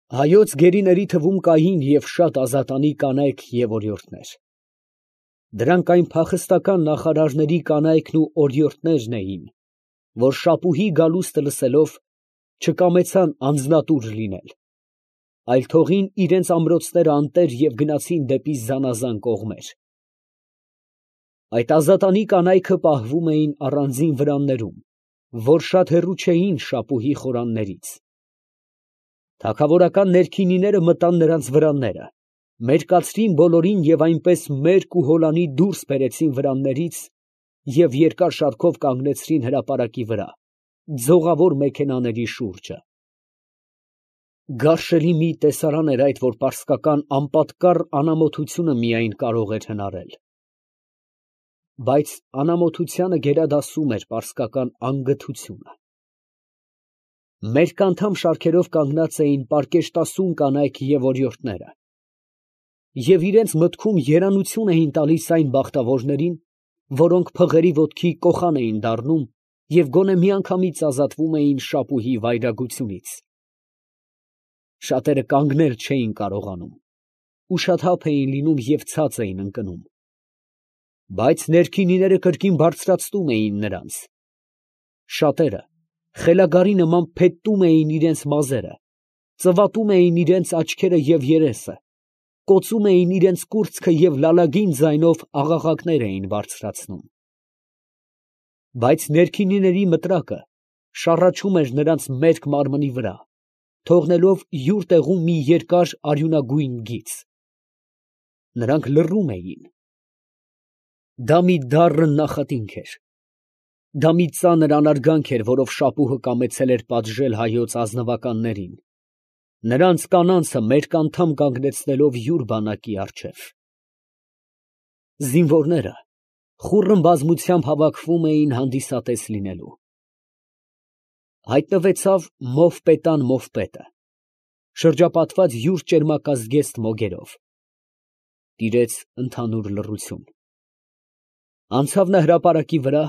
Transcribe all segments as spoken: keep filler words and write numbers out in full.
Հայոց գերիների թվում կային և շատ ազատանի կանայք և օրիորդներ. դրանք այն փախստական նախարարների կանայքն ու օրիորդներն էին, որ շապուհի գալուստը լսելով, չկամեցան անձնատուր լինել, այլ թողին իրանց ամրոցները անտեր և գնացին դեպի զանազան կողմեր. այդ ազատանի կանայքը պահվում էին առանձին վրաններում, որ շատ հեռու չէին շապուհի խորաններից. թագավորական ներքինիները մտան նրանց վրանները, մերկացրին բոլորին և այնպես մերկ ու հոլանի դուրս բերեցին վրաններից և երկար շարքով կանգնեցրին հրապարակի վրա, ձողավոր մեքենաների շուրջը. գարշելի մի տեսարան էր այդ, որ պարսկական անպատկառ անամոթությունը միայն կարող էր հնարել. բայց անամոթությանը գերադասում էր պարսկական անգթությունը. մերկանդամ շարքերով կանգնած էին պարկեշտասուն կանայք և օրիորդները, և իրանց մտքում երանություն էին տալիս այն բախտավորներին, որոնք փղերի ոտքի կոխան էին դառնում և գոնե միանգամից ազատվում էին շապուհի վայրագությունից. շատերը կանգնել չէին կարողանում, ուշաթափ էին լինում և ցած էին ընկնում, բայց ներքինիները կրկին բարձրացնում էին նրանց. շատերը խելագարի նման փետտում էին իրենց մազերը, ծվատում էին իրենց աչքերը և երեսը, կոծում էին իրենց կուրծքը և լալագին ձայնով աղաղակներ էին բարձրացնում. բայց ներքինիների մտրակը շառաչում էր նրանց մերկ մարմնի վրա, թողնելով յուր տեղում մի երկար արյունագույն գիծ. նրանք լռում էին. դա մի դառն նախատինք էր, դա մի ծանր անարգանք էր, որով շապուհը կամեցել էր պատժել հայոց ազնվականներին, նրանց կանանցը մերկանդամ կանգնեցնելով յուր բանակի առջև. զինվորները խուռն բազմությամբ հավաքվում էին հանդիսատես լինելու. հայտնվեցավ Մովպետան Մովպետը, շրջապատված յուր ճերմակազգեստ մոգերով. տիրեց ընդհանուր լռություն. անցավ նա հրապարակի վրա,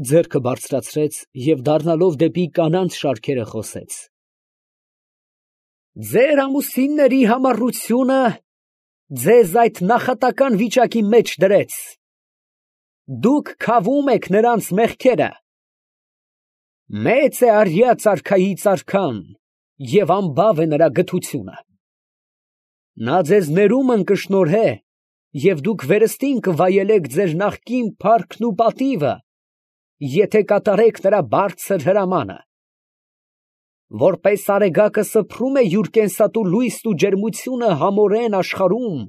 ձեռքը բարձրացրեց և դառնալով դեպի կանանց շարքերը խոսեց. ձեր ամուսինների համառությունը ձեզ այդ նախատական վիճակի մեջ դրեց. դուք քավում եք նրանց մեղքերը. մեծ է արյա ծարքայից արքան և անբավ է նրա գթությունը. նա ձեզ ներումն կշնորհե և դուք վերստին կվայելեք ձեր նախկին փառքն ու պատիվը, եթե կատարեք նրա բարձր հրամանը. որպես արեգակը սփռում է յուր կենսատու լույսն ու ջերմությունը համորեն աշխարհում,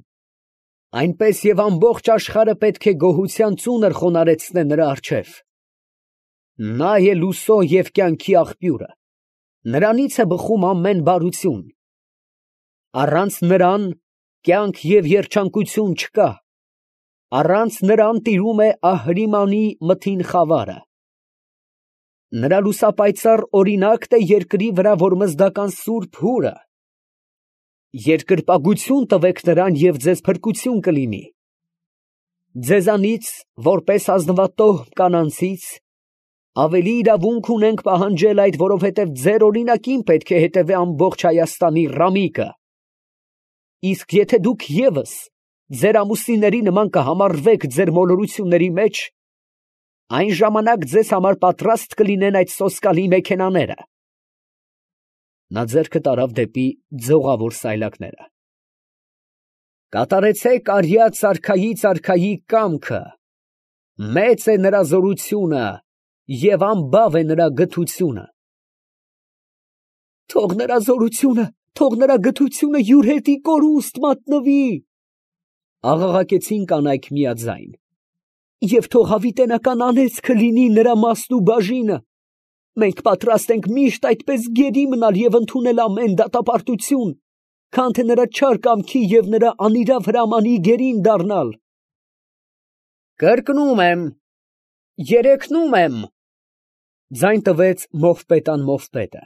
այնպես և ամբողջ աշխարհը պետք է գոհության ծունր խոնարհեցնե նրա առջև. նա է լուսո և կյանքի աղբյուրը, նրանից է բխում ամեն բարություն. առանց նրան կյանք և երջանկություն չկա, առանց նրան տիրում է Ահրիմանի մթին խավարը. նրա լուսապայծառ օրինակն է երկրի վրա որմզդական սուրբ հուրը. երկրպագություն տվեք նրան և ձեզ փրկություն կլինի. ձեզանից, որպես ազնվատոհ կանանցից, ավելի իրավունք ունենք պահանջել այդ, որովհետև ձեր օրինակին պետք է հետևե ամբողջ Հայաստանի ռամիկը. իսկ եթե դուք ևս ձեր ամուսինների նման կհամարվեք ձեր մոլորությունների մեջ, այն ժամանակ ձեզ համար պատրաստ կլինեն այդ սոսկալի մեքենաները. նա ձեռքը տարավ դեպի ձողավոր սայլակները. կատարեցեք արյա ծարքայից արքայի կամքը, մեծ է նրա զորությունը և անբավ է նրա գթությունը. թող նրա զորությունը, թող նրա գթությունը յուր հետի կորուստ մատնվի, աղաղակեցին կանայք միաձայն, և թող հավիտենական անեծքը լինի նրա մասն ու բաժինը. մենք պատրաստ ենք միշտ այդպես գերի մնալ և ընդունել ամեն դատապարտություն, քան թե նրա չար կամքի և նրա անիրավ հրամանի գերին դառնալ. կրկնում եմ, երեքնում եմ, ձայն տվեց Մովպետան Մովպետը.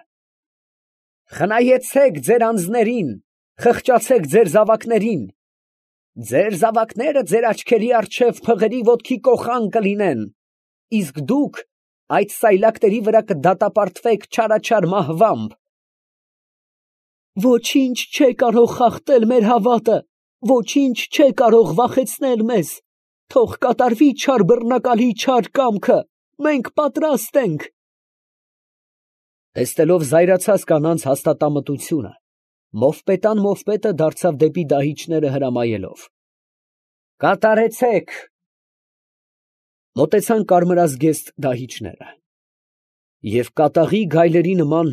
խնայեցեք ձեր անձներին, խղճացեք ձեր զավակներին, ձեր զավակները ձեր աչքերի առջև փղերի ոտքի կոխան կլինեն, իսկ դուք այդ սայլակների վրա կդատապարտվեք չարաչար մահվամբ. Ոչինչ չէ կարող խախտել մեր հավատը, ոչինչ չէ կարող վախեցնել մեզ, թող կատարվի չար բռնակալի չար կամքը, մենք պատրաստ ենք։ Տեսնելով զայրացած կանանց հաստատամտությունը, մովպետան մովպետը դարձավ դեպի դահիճները հրամայելով. Կատարեցեք։ Մոտեցան կարմրազգեստ դահիճները և կատաղի գայլերի նման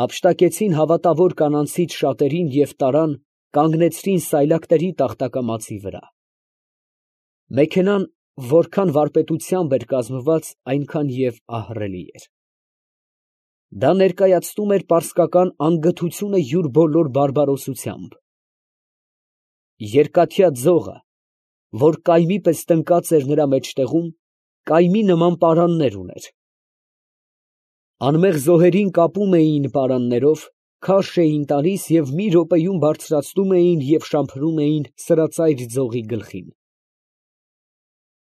հափշտակեցին հավատավոր կանանցից շատերին և տարան, կանգնեցրին սայլակների տախտակամածի վրա։ Մեքենան որքան վարպետությամբ էր կազմված, այնքան և ահռելի էր։ Դա ներկայացնում էր պարսկական անգթությունը յուր բոլոր բարբարոսությամբ։ Երկաթյա ձողը, որ կայմի պես տնկած էր նրա մեջտեղում, կայմի նման պարաններ ուներ։ Անմեղ զոհերին կապում էին պարաններով, քարշ էին տալիս և մի րոպեում բարձրացնում էին և շամփրում էին սրածայր ձողի գլխին։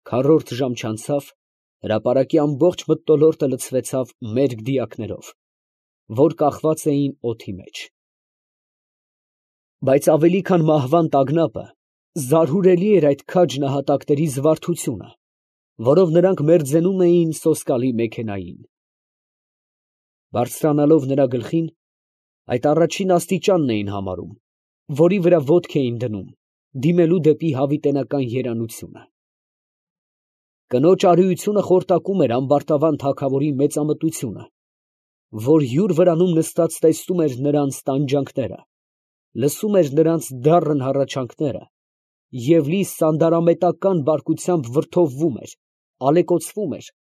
Քառորդ ժամ չանցավ, հրապարակի ամբողջ մթնոլորտը լցվեցավ մերկ դիակներով, որ կախված էին օդի մեջ։ Բայց ավելի քան մահվան տագնապը, զարհուրելի էր այդ քաջ նահատակների զվարթությունը, որով նրանք մերձենում էին սոսկալի մեքենային։ Բարձրանալով նրա գլխին, այդ առաջին աստիճանն էին համարում, որի վրա ոտք էին դնում, դիմելու դեպի հավիտենական երանությունը։ Կնոջ արիությունը խորտակում էր ամբարտավան թագավորի մեծամտությունը, որ յուր վրանում նստած տեսնում էր նրանց տանջանքները, լսում էր նրանց դառն հառաչանքները և լի սանդարամետական բարկությամբ վրդովվում էր, ալեկոծվում էր,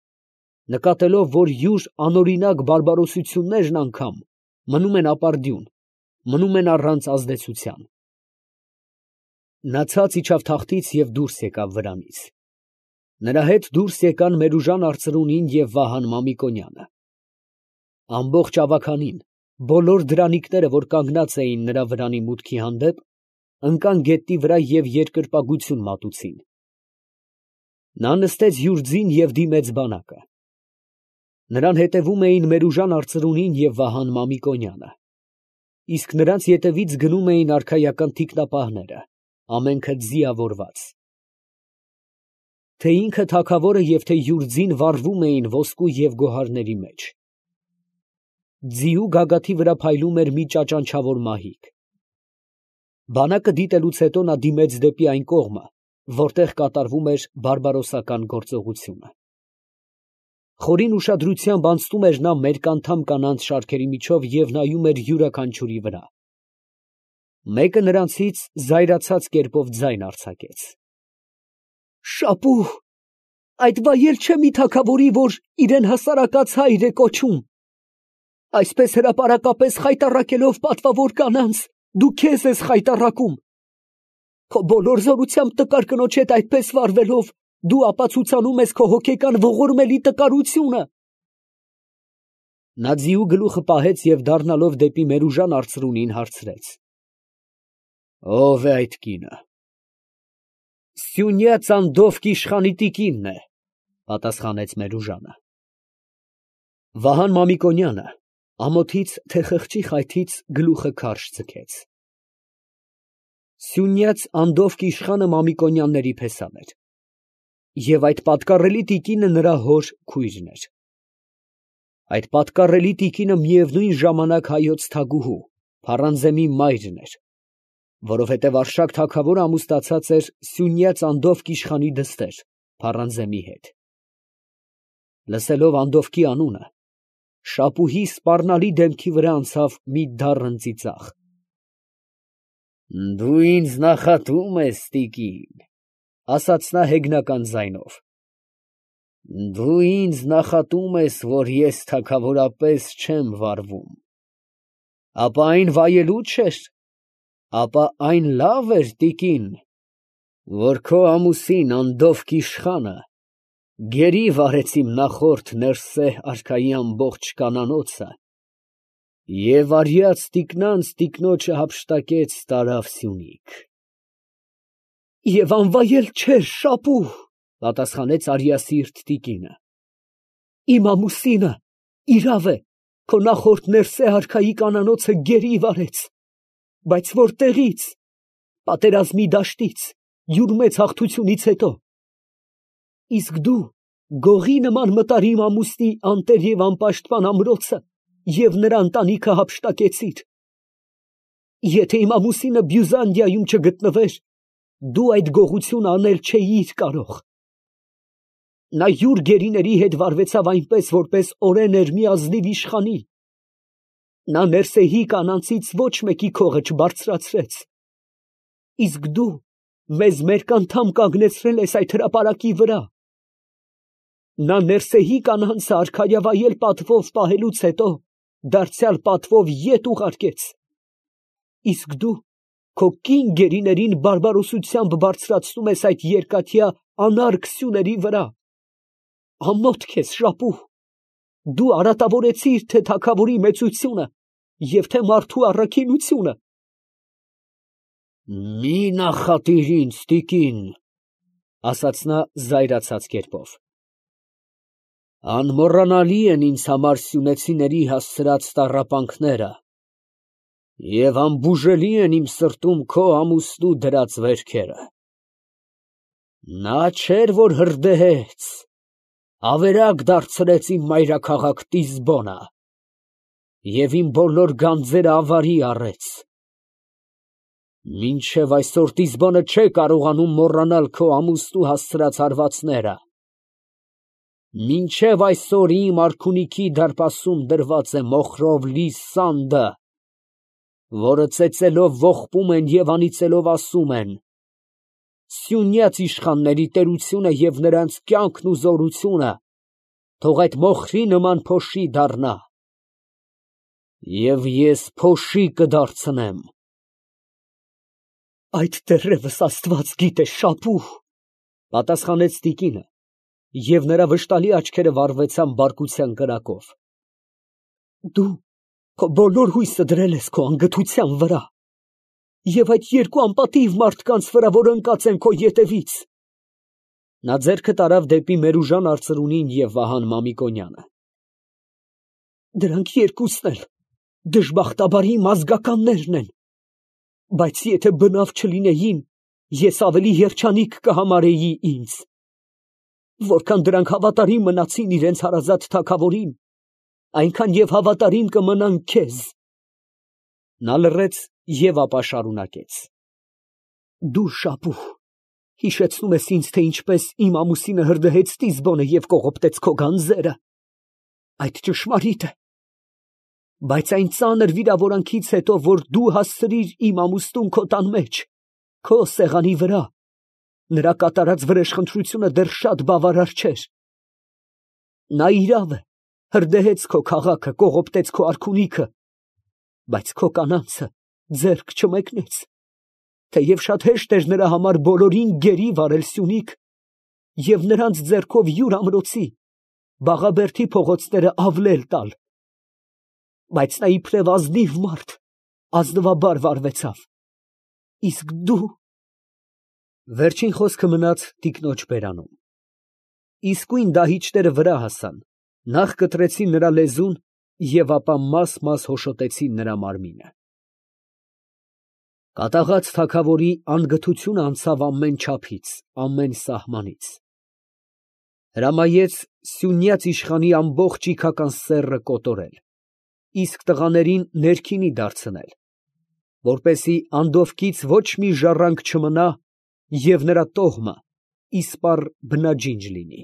նկատելով, որ յուր անօրինակ բարբարոսություններն անգամ մնում են ապարդյուն, մնում են առանց ազդեցության։ Նա ցած իջավ թախտից և դուրս եկավ վրանից։ Նրա հետ դուրս եկան Մերուժան արծրունին և Վահան Մամիկոնյանը։ Ամբողջ ավագանին, բոլոր դրանիկները, որ կանգնած էին նրա վրանի մուտքի հանդեպ, ընկան գետնի վրա և երկրպագություն մատուցին։ Նա նստեց յուր ձին և դիմեց բանակը։ Նրան հետևում էին Մերուժան արծրունին և Վահան Մամիկոնյանը, իսկ նրանց ետևից գնում էին արքայական թիկնապահները, ամենքը ձիավորված։ Թե ինքը թագավորը և թե յուր ձին վառվում էին ոսկու և գոհարների մեջ։ Ձիու գագաթի վրա փայլում էր մի ճաճանչավոր մահիկ։ Բանակը դիտելուց հետո նա դիմեց դեպի այն կողմը, որտեղ կատարվում էր բարբարոսական գործողությունը։ Խորին ուշադրությամբ անցնում էր նա մերկանդամ կանանց շարքերի միջով և նայում էր յուրաքանչյուրի վրա։ Մեկը նրանցից զայրացած կերպով ձայն արձակեց. Շապուհ, այդ վայել չէ մի թագավորի, որ իրան հասարակած հայր է կոչում։ Այսպես հրապարակապես խայտառակելով պատվավոր կանանց, դու քեզ ես խայտառակում։ Քո բոլոր զորությամբ տկար կնոջ հետ այդպես վարվելով, դու ապացուցանում ես քո հոգեկան ողորմելի տկարությունը։ Նա ձիու գլուխը պահեց և դառնալով դեպի Մերուժան արծրունին հարցրեց. Ո՞վ է այդ կինը։ Սյունյաց Անդովկի իշխանի տիկինն է, պատասխանեց Մերուժանը։ Վահան Մամիկոնյանը ամոթից, թե խղճի խայթից գլուխը քարշ ձգեց։ Սյունյաց Անդովկի իշխանը Մամիկոնյանների փեսան էր, և այդ պատկառելի տիկինը նրա հոր քույրն էր։ Այդ պատկառելի տիկինը միևնույն ժամանակ հայոց թագուհու, Փարանզեմի մայրն էր, որովհետև Արշակ թագավորը ամուսնացած էր Սյունյաց Անդովկի իշխանի դստեր Փարանզեմի հետ։ Լսելով Անդովկի անունը, Շապուհի սպառնալի դեմքի վրա անցավ մի դառն ծիծաղ։ Դու ինձ նախատում ես, տիկին, ասաց նա հեգնական ձայնով։ Դու ինձ նախատում ես, որ ես թագավորապես չեմ վարվում։ Ապա այն վայելու չէր, ապա այն լավ էր, տիկին, որ քո ամուսին Անդովկի իշխանը գերի վարեց իմ նախորդ Ներսե արքայի ամբողջ կանանոցը և արյաց տիկնանց տիկնոջը հափշտակեց տարավ Սյունիք։ Եվ անվայել չէր, Շապուհ, պատասխանեց արյասիրտ տիկինը։ Իմ ամուսինը իրավ է, քո նախորդ Ներսե արքայի կանանոցը գերի վարեց, Բայց որտեղից, պատերազմի դաշտից, յուր մեծ հաղթությունից հետո։ Իսկ դու գողի նման մտար իմ ամուսնի անտեր և անպաշտպան ամրոցը և նրա ընտանիքը հափշտակեցիր։ Եթե իմ ամուսինը Բյուզանդիայում չգտնվեր, դու այդ գողությունը անել չէիր կարող։ Նա յուր գերիների հետ վարվեցավ այնպես, որպես օրեն էր մի ազնիվ իշխանի։ Նա Ներսեի կանանցից ոչ մեկի քողը չբարձրացրեց։ Իսկ դու մեզ մերկ անդամ կանգնեցրել ես այդ հրապարակի վրա։ Նա Ներսեի կանանցը արքայավայել պատվով պահելուց հետո դարձյալ պատվով ետ ուղարկեց։ Իսկ դու քո կին գերիներին բարբարոսությամբ բարձրացնում ես այդ երկաթյա անարգ սյուների վրա։ Ամոթ քեզ, Շապուհ, դու արատավորեցիր թե թագավորի մեծությունը և թե մարդու առաքինությունը։ Մի նախատիր ինձ, տիկին, ասաց նա զայրացած կերպով. անմոռանալի են ինձ համար սյունեցիների հասցրած տառապանքները և անբուժելի են իմ սրտում քո ամուսնու դրած վերքերը։ Նա չէր, որ հրդեհեց, ավերակ դարձրեց իմ մայրաքաղաք Տիզբոնը և իմ բոլոր գանձերը ավարի առեց։ Մինչև այսօր Տիզբոնը չէ կարողանում մոռանալ քո ամուսնու հասցրած հարվածները։ Մինչև այսօր իմ արքունիքի դարպասում դրված է մոխրով լի սանդը, որը ծեծելով ողբում են և անիծելով ասում են. «Սյունյաց իշխանների տերությունը և նրանց կյանքն ու զորությունը թող այդ մոխրի նման փոշի դառնա։ Եվ ես փոշի կդարձնեմ»։ Այդ դեռևս Աստված գիտե, Շապուհ, պատասխանեց տիկինը, և նրա վշտալի աչքերը վառվեցան բարկության կրակով։ Դու քո բոլոր հույսը դրել ես քո անգթության վրա և այդ երկու անպատիվ մարդկանց վրա, որ ընկած են քո ետևից։ Նա ձեռքը տարավ դեպի Մերուժան արծրունին և Վահան Մամիկոնյանը։ Դրանք երկուսն էլ դժբախտաբար իմ ազգականներն են, բայց եթե բնավ չլինեին, ես ավելի երջանիկ կհամարեի ինձ։ Որքան դրանք հավատարիմ մնացին իրենց հարազատ թագավորին, այնքան և հավատարիմ կմնան քեզ։ Նա լռեց և ապա շարունակեց. Դու, Շապուհ, հիշեցնում ես ինձ, թե ինչպես իմ ամուսինը հրդեհեց Տիզբոնը և կողոպտեց քո գանձերը։ Այդ ճշմարիտ է։ Բայց այն ծանր վիրավորանքից հետո, որ դու հասցրիր իմ ամուսնուն քո տան մեջ, քո սեղանի վրա, նրա կատարած վրեժխնդրությունը դեռ շատ բավարար չէր։ Նա իրավ է, հրդեհեց քո քաղաքը, կողոպտեց քո արքունիքը, բայց քո կանանցը ձեռք չմեկնեց, թեև շատ հեշտ էր նրա համար բոլորին գերի վարել սյունիք և նրանց ձեռքով յուր ամրոցի, Բաղաբերդի փողոցները ավլել տալ։ Բայց նա իբրև ազնիվ մարդ ազնվաբար վարվեցավ։ Իսկ դու… Վերջին խոսքը մնաց տիկնոջ բերանում։ Իսկույն դահիճները վրա հասան, նախ կտրեցին նրա լեզուն և ապա մաս֊մաս հոշոտեցին նրա մարմինը։ Կատաղած թագավորի անգթությունը անցավ ամեն չափից, ամեն սահմանից։ Հրամայեց սյունյաց իշխանի ամբողջ իգական սեռը կոտորել, իսկ տղաներին ներքինի դարձնել, որպեսզի անդովկից ոչ մի ժառանգ չմնա և նրա տոհմը իսպառ բնաջինջ լինի։